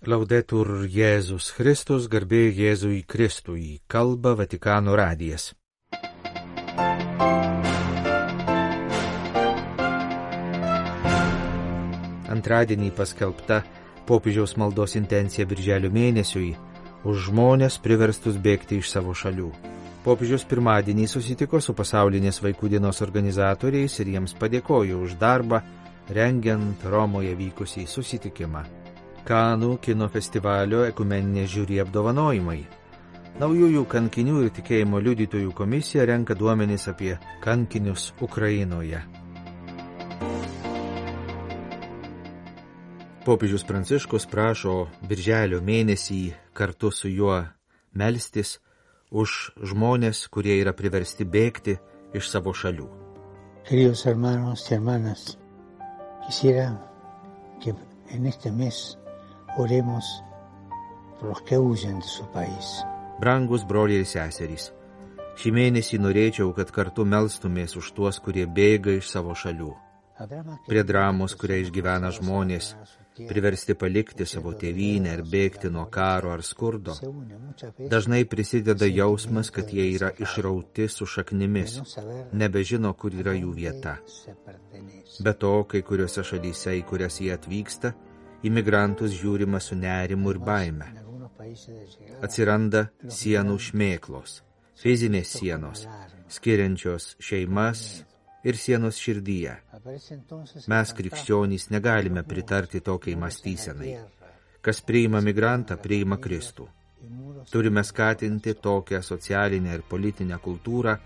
Laudetur Jėzus Kristus, garbė Jėzui Kristui, kalba Vatikano radijas. Antradienį paskelbta popiežiaus maldos intencija birželio mėnesiui už žmonės priverstus bėgti iš savo šalių. Popiežius pirmadienį susitiko su pasaulinės vaikų dienos organizatoriais ir jiems padėkojo už darbą, rengiant Romoje vykusį susitikimą. Kanų kino festivalio ekumeninės žiūri apdovanojimai. Naujųjų kankinių ir tikėjimo liudytojų komisija renka duomenis apie kankinius Ukrainoje. Popiežius Pranciškus prašo birželio mėnesį kartu su juo melstis už žmonės, kurie yra priversti bėgti iš savo šalių. Queridos hermanos y hermanas, quisiera que en este mes oremos por los que huyen de su país. Brangus broliai ir seserys, šį mėnesį norėčiau, kad kartu melstumės už tuos, kurie bėga iš savo šalių. Prie dramos, kurią išgyvena žmonės, priversti palikti savo tėvynę ir bėgti nuo karo ar skurdo, dažnai prisideda jausmas, kad jie yra išrauti su šaknimis, nebežino, kur yra jų vieta. Be to, kai kuriuose šalyse, į kurias jie atvyksta, imigrantus žiūrima su nerimu ir baime. Atsiranda sienų šmėklos, fizinės sienos, skiriančios šeimas ir sienos širdyje. Mes, krikščionys, negalime pritarti tokiai mąstysenai. Kas priima migrantą, priima Kristų. Turime skatinti tokią socialinę ir politinę kultūrą,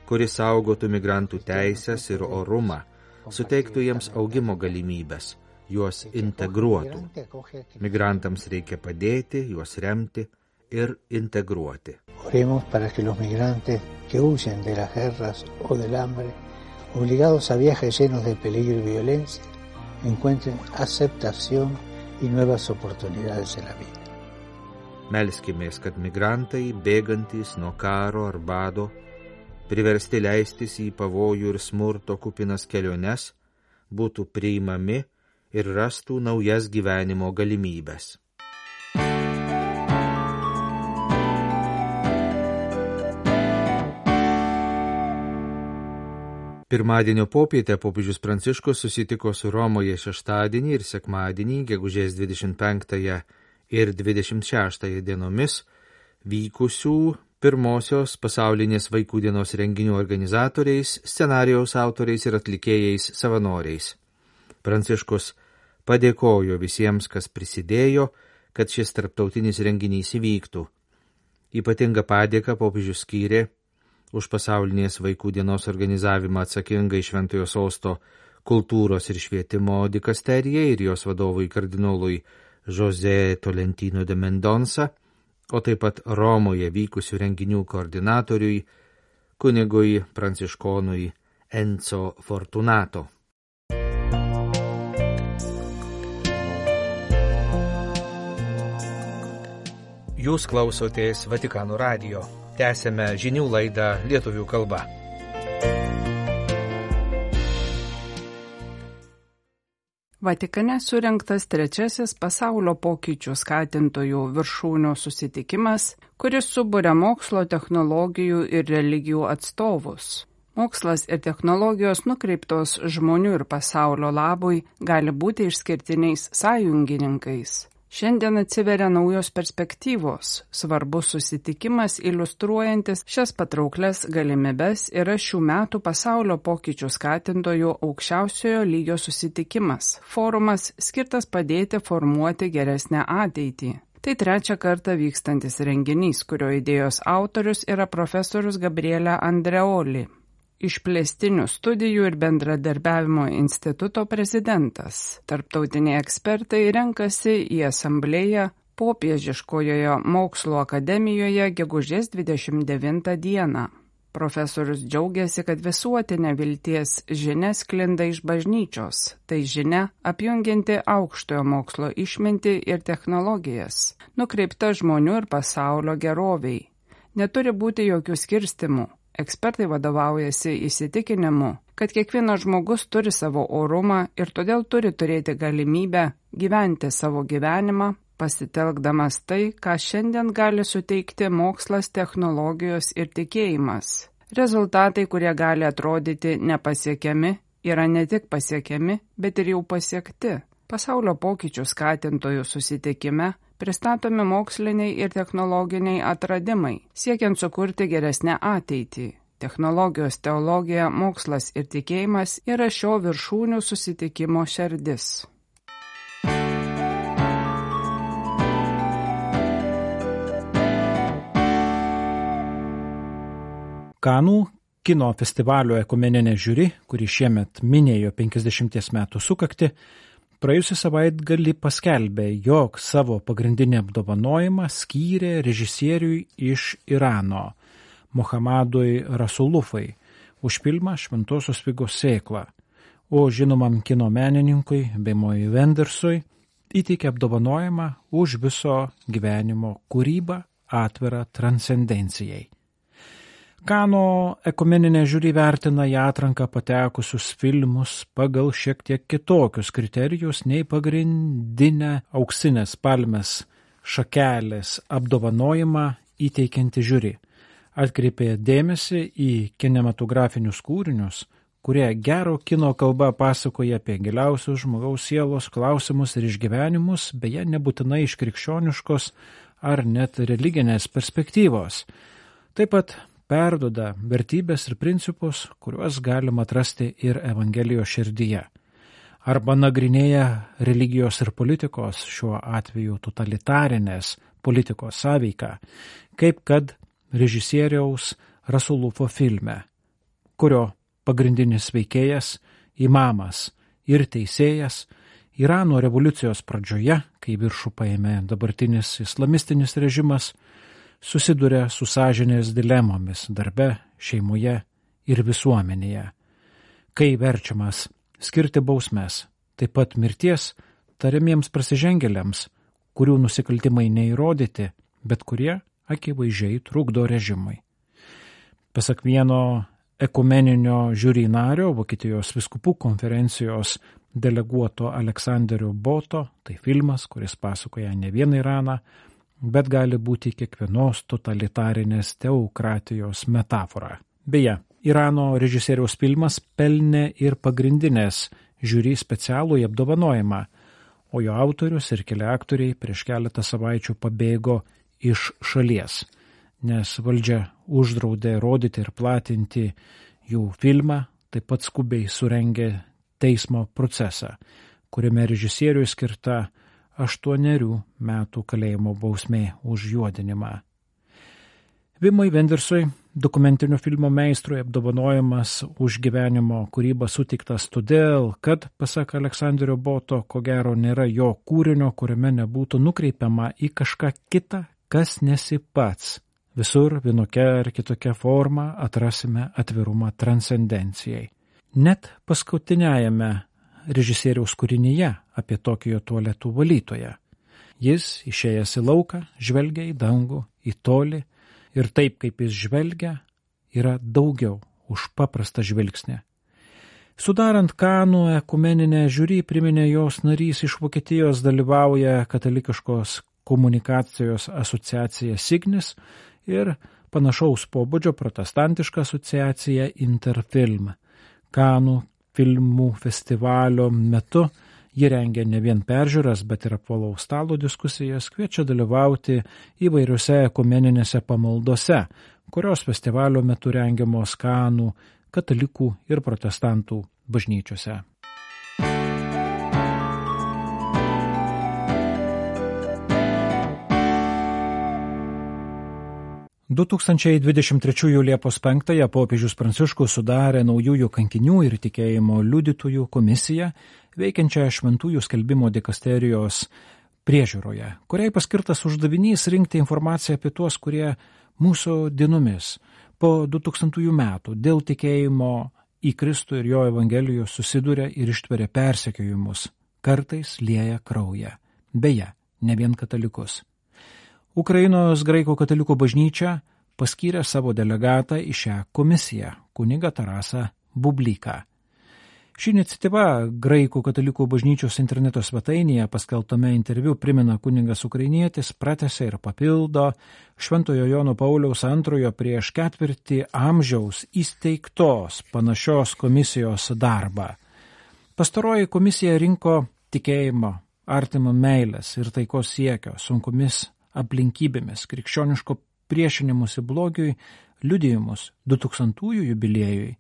kuri saugotų migrantų teisės ir orumą, suteiktų jiems augimo galimybės, juos integruotų. Migrantams reikia padėti, juos remti ir integruoti. Oremos para que los migrantes que huyen de las guerras o del hambre, obligados a viajes llenos de peligro y violencia, encuentren aceptación y nuevas oportunidades en la vida. Melskimės, kad migrantai, bėgantys nuo karo ar bado, priversti leistis į pavojų ir smurto kupinas keliones, būtų priimami ir rastų naujas gyvenimo galimybės. Pirmadienio popietę popiežius Pranciškus susitiko su Romoje šeštadienį ir sekmadienį, gegužės 25 ir 26 dienomis, vykusių pirmosios pasaulinės vaikų dienos renginių organizatoriais, scenarijaus autoriais ir atlikėjais savanoriais. Pranciškus padėkojo visiems, kas prisidėjo, kad šis tarptautinis renginys įvyktų. Ypatingą padėką popiežius skyrė už pasaulinės vaikų dienos organizavimą atsakingai Šventojo Sosto kultūros ir švietimo dikasterijai ir jos vadovui kardinolui José Tolentino de Mendonça, o taip pat Romoje vykusių renginių koordinatoriui, kunigui pranciškonui Enzo Fortunato. Jūs klausotės Vatikano radijo. Tęsėme žinių laidą lietuvių kalba. Vatikane surengtas trečiasis pasaulio pokyčių skatintojų viršūnių susitikimas, kuris suburia mokslo, technologijų ir religijų atstovus. Mokslas ir technologijos nukreiptos žmonių ir pasaulio labui gali būti išskirtiniais sąjungininkais. Šiandien atsiveria naujos perspektyvos, svarbus susitikimas iliustruojantis šias patrauklias galimybes yra šių metų pasaulio pokyčių skatintojų aukščiausiojo lygio susitikimas, forumas skirtas padėti formuoti geresnę ateitį. Tai trečią kartą vykstantis renginys, kurio idėjos autorius yra profesorius Gabriele Andreoli, Išplėstinių studijų ir bendradarbiavimo instituto prezidentas. Tarptautiniai ekspertai renkasi į asamblėją Popiežiškojoje mokslo akademijoje gegužės 29 dieną. Profesorius džiaugiasi, kad visuotinė vilties žinia sklinda iš bažnyčios, tai žinia apjungianti aukštojo mokslo išmintį ir technologijas, nukreipta žmonių ir pasaulio geroviai. Neturi būti jokių skirstimų. Ekspertai vadovaujasi įsitikinimu, kad kiekvienas žmogus turi savo orumą ir todėl turi turėti galimybę gyventi savo gyvenimą, pasitelkdamas tai, ką šiandien gali suteikti mokslas, technologijos ir tikėjimas. Rezultatai, kurie gali atrodyti nepasiekiami, yra ne tik pasiekiami, bet ir jau pasiekti. Pasaulio pokyčių skatintojų susitikime pristatomi moksliniai ir technologiniai atradimai, siekiant sukurti geresnę ateitį. Technologijos, teologija, mokslas ir tikėjimas yra šio viršūnių susitikimo šerdis. Kanų kino festivalio ekumeninė žiuri, kuri šiemet minėjo 50 metų sukaktį, praėjusį savaitgalį paskelbė, jog savo pagrindinį apdovanojimą skyrė režisieriui iš Irano, Mohamedui Rasulufai, už filmą Šventosios figos sėkla, o žinomam kino menininkui Wimui Wendersui įteikė apdovanojimą už viso gyvenimo kūrybą atvirą transcendencijai. Kanų ekumeninė žiuri vertina į atranką patekusius filmus pagal šiek tiek kitokius kriterijus nei pagrindinę auksinės palmės šakelės apdovanojimą įteikianti žiuri. Atkreipė dėmesį į kinematografinius kūrinius, kurie gero kino kalba pasakoja apie giliausius žmogaus sielos klausimus ir išgyvenimus, beje nebūtinai iš krikščioniškos ar net religinės perspektyvos. Taip pat perduoda vertybės ir principus, kuriuos galima atrasti ir Evangelijos širdyje. Arba nagrinėja religijos ir politikos, šiuo atveju totalitarinės politikos sąveiką, kaip kad režisieriaus Rasulufo filme, kurio pagrindinis veikėjas, imamas ir teisėjas Irano revoliucijos pradžioje, kai viršų paėmė dabartinis islamistinis režimas, susiduria su sąžinės dilemomis darbe, šeimoje ir visuomenėje, kai verčiamas skirti bausmes, taip pat mirties tariamiems prasižengėliams, kurių nusikaltimai neįrodyti, bet kurie akivaizdžiai trukdo režimui. Pasak vieno ekumeninio žiuri nario, Vokietijos vyskupų konferencijos deleguoto Aleksanderio Boto, tai filmas, kuris pasakoja ne vieną Iraną, bet gali būti kiekvienos totalitarinės teokratijos metafora. Beje, Irano režisieriaus filmas pelnė ir pagrindinės žiuri specialųjį apdovanojimą, o jo autorius ir keli aktoriai prieš keletą savaičių pabėgo iš šalies, nes valdžia uždraudė rodyti ir platinti jų filmą, taip pat skubiai surengė teismo procesą, kuriame režisieriui skirta 8 metų kalėjimo bausmė už juodinimą. Wimui Wendersui, dokumentinio filmo meistrui, apdovanojimas už gyvenimo kūrybą suteiktas todėl, kad, pasak Aleksanderio Boto, ko gero nėra jo kūrinio, kuriame nebūtų nukreipiama į kažką kitą, kas nesi pats. Visur vienokia ar kitokia forma atrasime atvirumą transcendencijai. Net paskutiniajame režisieriaus kūrinyje apie Tokijo tualetų valytoją. Jis, išėjęs į lauką, žvelgia į dangų, į tolį ir taip, kaip jis žvelgia, yra daugiau už paprastą žvilgsnį. Sudarant Kanų ekumeninę žiuri, priminė jos narys iš Vokietijos, dalyvauja katalikiškos komunikacijos asociacija Signis ir panašaus pobūdžio protestantiška asociacija Interfilm. Kanų filmų festivalio metu ji rengia ne vien peržiūras, bet ir apvalaus stalo diskusijas, kviečia dalyvauti įvairiose ekumeninėse pamaldose, kurios festivalio metu rengiamos Kanų katalikų ir protestantų bažnyčiose. 2023 Liepos 5 popiežius Pranciškus sudarė naujųjų kankinių ir tikėjimo liudytojų komisiją, veikiančią šventųjų skelbimo dikasterijos priežiūroje, kuriai paskirtas uždavinys rinkti informaciją apie tuos, kurie mūsų dienomis po 2000 metų dėl tikėjimo į Kristų ir jo Evangelijos susiduria ir ištveria persekiojimus, kartais lieja kraują. Beje, ne vien katalikus. Ukrainos graikų katalikų bažnyčia paskyrė savo delegatą į šią komisiją, kunigą Tarasą Bublyką. Ši iniciatyva Graikų katalikų bažnyčios interneto svetainėje paskelbtame interviu primena kunigas ukrainietis, pratęsia ir papildo Šventojo Jono Pauliaus II prieš ketvirtį amžiaus įsteigtos panašios komisijos darbą. Pastaroji komisija rinko tikėjimo, artimo meilės ir taikos siekio sunkomis aplinkybėmis, krikščioniško priešinimusi blogiui liudijimus 2000-ųjų jubiliejui,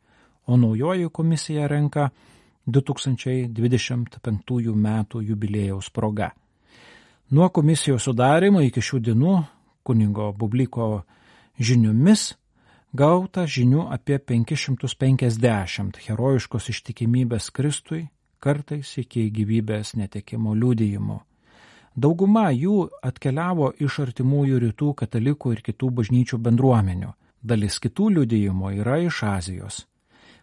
o naujoji komisija renka 2025 metų jubiliejaus proga. Nuo komisijos sudarimo iki šių dienų kunigo Bubliko žiniomis gauta žinių apie 550 herojiškos ištikimybės Kristui, kartais iki gyvybės netekimo liudijimų. Dauguma jų atkeliavo iš artimųjų rytų katalikų ir kitų bažnyčių bendruomenių. Dalis kitų liudijimų yra iš Azijos.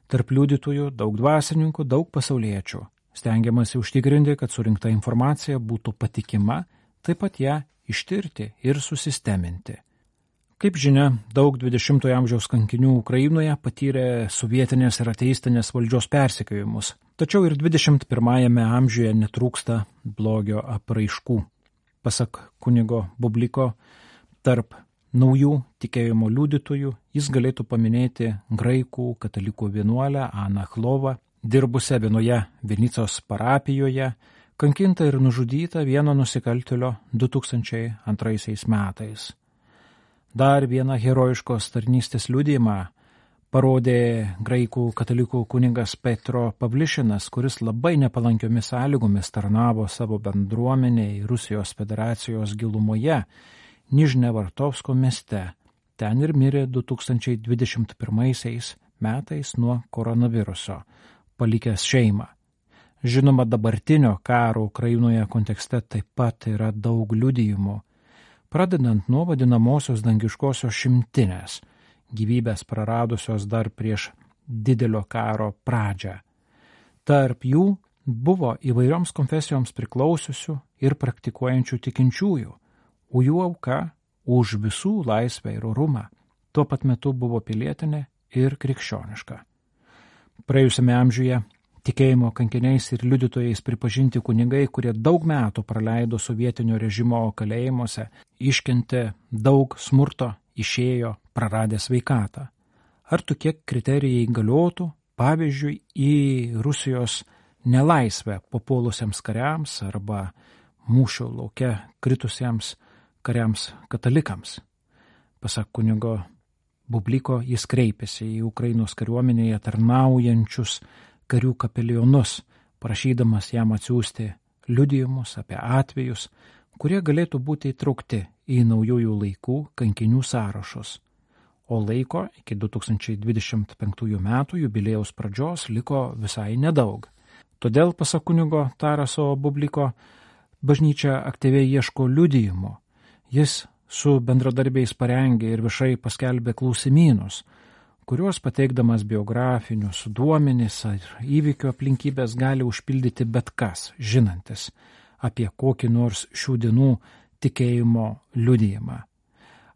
Tarp liudytojų daug dvasininkų, daug pasauliečių. Stengiamasi užtikrinti, kad surinkta informacija būtų patikima, taip pat ją ištirti ir susisteminti. Kaip žinia, daug 20-ojo amžiaus kankinių Ukrainoje patyrė sovietinės ir ateistinės valdžios persekiojimus, tačiau ir 21-ame amžiuje netrūksta blogio apraiškų. Pasak kunigo Bubliko, tarp naujų tikėjimo liudytojų jis galėtų paminėti graikų katalikų vienuolę Aną Chlovą, dirbusią vienoje Vinicos parapijoje, kankintą ir nužudytą vieno nusikaltėlio 2002 metais. Dar vieną herojiškos tarnystės liudijimą parodė graikų katalikų kunigas Petro Pavlišinas, kuris labai nepalankiomis sąlygomis tarnavo savo bendruomeniai Rusijos federacijos gilumoje, Nižnevartovsko mieste. Ten ir mirė 2021 metais nuo koronaviruso, palikęs šeimą. Žinoma, dabartinio karo Ukrainoje kontekste taip pat yra daug liudijimų, pradedant nuo vadinamosios dangiškosios šimtinės, gyvybės praradusios dar prieš didelio karo pradžią. Tarp jų buvo įvairioms konfesijoms priklausiusių ir praktikuojančių tikinčiųjų, o jų auka už visų laisvę ir orumą tuo pat metu buvo pilietinė ir krikščioniška. Praėjusiame amžiuje tikėjimo kankiniais ir liudytojais pripažinti kunigai, kurie daug metų praleido sovietinio režimo kalėjimuose, iškentė daug smurto, išėjo praradę sveikatą. Ar tokie kriterijai galiotų, pavyzdžiui, į Rusijos nelaisvę papuolusiems kariams arba mūšio lauke kritusiems kariams katalikams? Pasak kunigo Bubliko, jis kreipėsi į Ukrainos kariuomenėje tarnaujančius karių kapelionus, prašydamas jam atsiųsti liudijimus apie atvejus, kurie galėtų būti įtraukti į naujųjų laikų kankinių sąrašus. O laiko iki 2025 metų jubiliejaus pradžios liko visai nedaug. Todėl, pasak kunigo Taraso Bubliko, bažnyčia aktyviai ieško liudijimų. Jis su bendradarbiais parengė ir viešai paskelbė klausimynus, kuriuos pateikdamas biografinius duomenis ar įvykių aplinkybės gali užpildyti bet kas, žinantis apie kokį nors šių dienų tikėjimo liudijimą.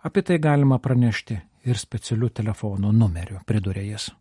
Apie tai galima pranešti ir specialiu telefono numeriu, pridūrė jis.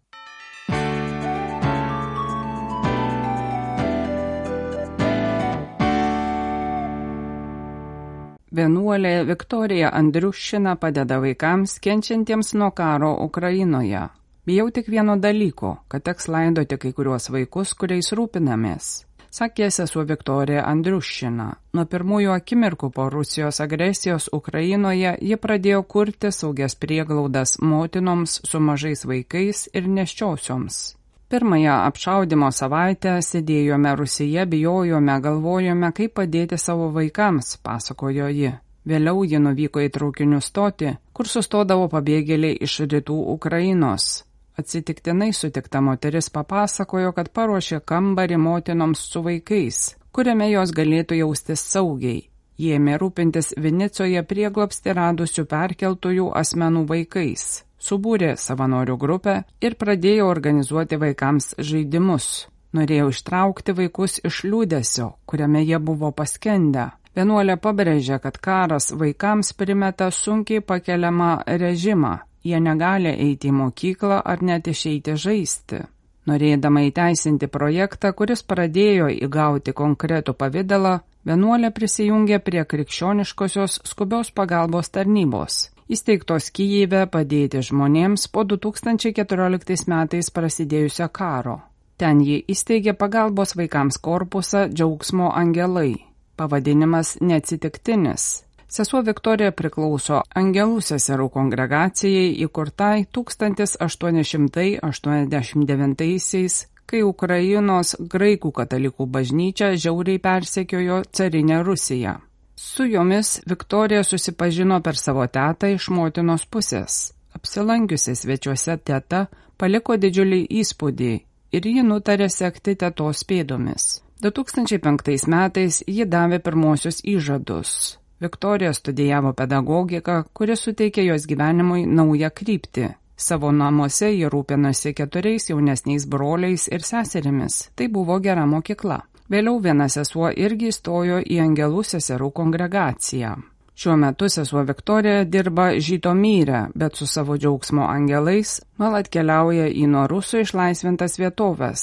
Vienuolė Viktorija Andriušina padeda vaikams kenčiantiems nuo karo Ukrainoje. Bijau tik vieno dalyko, kad teks laidoti kai kuriuos vaikus, kuriais rūpinamės, sakė sesuo Viktorija Andriušina. Nuo pirmųjų akimirkų po Rusijos agresijos Ukrainoje ji pradėjo kurti saugias prieglaudas motinoms su mažais vaikais ir nėščiosioms. Pirmąją apšaudimo savaitę sėdėjome Rusyje, bijojome, galvojome, kaip padėti savo vaikams, pasakojo ji. Vėliau ji nuvyko į traukinių stotį, kur sustodavo pabėgėliai iš rytų Ukrainos. Atsitiktinai sutikta moteris papasakojo, kad paruošė kambarį motinoms su vaikais, kuriame jos galėtų jaustis saugiai. Jie ėmė rūpintis Vinicoje prieglobstį radusių perkeltųjų asmenų vaikais. Subūrė savanorių grupę ir pradėjo organizuoti vaikams žaidimus. Norėjo ištraukti vaikus iš liūdesio, kuriame jie buvo paskendę. Vienuolė pabrėžė, kad karas vaikams primeta sunkiai pakeliamą režimą. Jie negali eiti į mokyklą ar net išeiti žaisti. Norėdama įteisinti projektą, kuris pradėjo įgauti konkretų pavidalą, vienuolė prisijungė prie krikščioniškosios skubios pagalbos tarnybos, įsteigtos Kijeve padėti žmonėms po 2014 metais prasidėjusio karo. Ten ji įsteigė pagalbos vaikams korpusą Džiaugsmo angelai. Pavadinimas neatsitiktinis. Sesuo Viktorija priklauso Angelų seserų kongregacijai įkurtai 1889-aisiais, kai Ukrainos graikų katalikų bažnyčia žiauriai persekiojo carinę Rusiją. Su jomis Viktorija susipažino per savo tetą iš motinos pusės. Apsilankiusi svečiuose teta paliko didžiulį įspūdį ir ji nutarė sekti tetos pėdomis. 2005 metais ji davė pirmosius įžadus. Viktorija studijavo pedagogiką, kuri suteikė jos gyvenimui naują kryptį. Savo namuose ji rūpinosi 4 jaunesniais broliais ir seserimis. Tai buvo gera mokykla. Vėliau viena sesuo irgi įstojo į Angelų seserų kongregaciją. Šiuo metu sesuo Viktorija dirba Žytomyre, bet su savo Džiaugsmo angelais nuolat keliauja į nuo rusų išlaisvintas vietovės.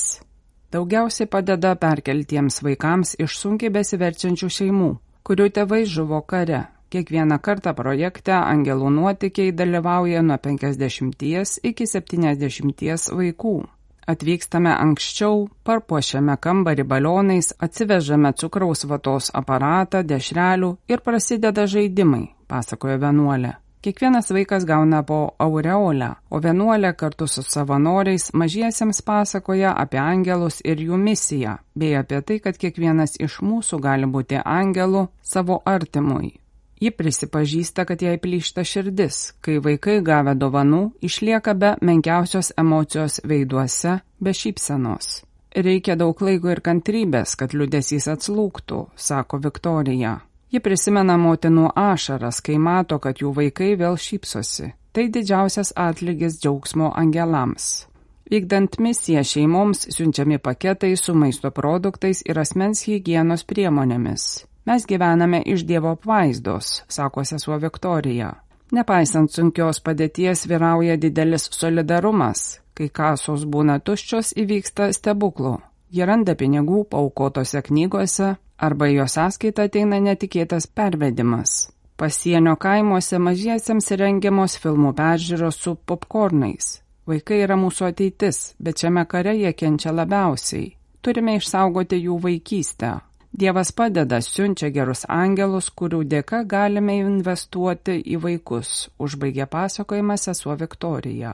Daugiausiai padeda perkeltiems vaikams iš sunkiai besiverčiančių šeimų, kurių tėvai žuvo kare. Kiekvieną kartą projekte Angelų nuotykiai dalyvauja nuo 50 iki 70 vaikų. Atvykstame anksčiau, parpuošiame kambarį balionais, atsivežame cukraus vatos aparatą, dešrelių ir prasideda žaidimai, pasakojo vienuolė. Kiekvienas vaikas gauna po aureolę, o vienuolė kartu su savanoriais mažiesiems pasakoja apie angelus ir jų misiją, bei apie tai, kad kiekvienas iš mūsų gali būti angelu savo artimui. Ji prisipažįsta, kad jai plyšta širdis, kai vaikai gavę dovanų išlieka be menkiausios emocijos veiduose, be šypsenos. Reikia daug laiko ir kantrybės, kad liūdesys atslūgtų, sako Viktorija. Ji prisimena motinų ašaras, kai mato, kad jų vaikai vėl šypsosi. Tai didžiausias atlygis Džiaugsmo angelams. Vykdant misiją šeimoms siunčiami paketai su maisto produktais ir asmens higienos priemonėmis. Mes gyvename iš Dievo apvaizdos, sako sesuo Viktorija. Nepaisant sunkios padėties vyrauja didelis solidarumas. Kai kasos būna tuščios, įvyksta stebuklų. Jie randa pinigų paaukotose knygose arba į jo sąskaitą ateina netikėtas pervedimas. Pasienio kaimuose mažiesiems rengiamos filmų peržiūros su popkornais. Vaikai yra mūsų ateitis, bet šiame kare jie kenčia labiausiai. Turime išsaugoti jų vaikystę. Dievas padeda, siunčia gerus angelus, kurių dėka galime investuoti į vaikus, užbaigė pasakojimą sesuo Viktorija.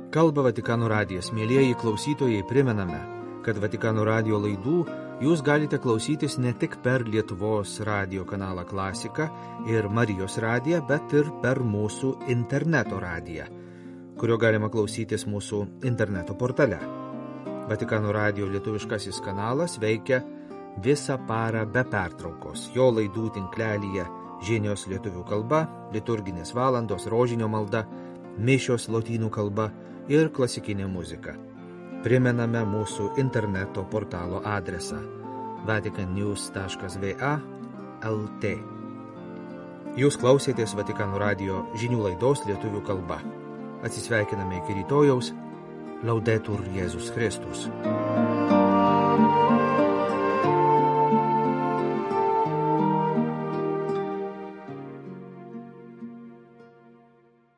Kalba Vatikano radijas. Mielieji klausytojai, primename, kad Vatikano radijo laidų jūs galite klausytis ne tik per Lietuvos radijo kanalą Klasika ir Marijos radiją, bet ir per mūsų interneto radiją, kurio galima klausytis mūsų interneto portale. Vatikano radijo lietuviškasis kanalas veikia visą parą be pertraukos. Jo laidų tinklelyje žinios lietuvių kalba, liturginės valandos, rožinio malda, mišios lotynų kalba ir klasikinė muzika. Primename mūsų interneto portalo adresą vaticannews.va/lt. Jūs klausėtės Vatikano radijo žinių laidos lietuvių kalba. Atsisveikiname iki rytojaus. Laudetur Jėzus Kristus.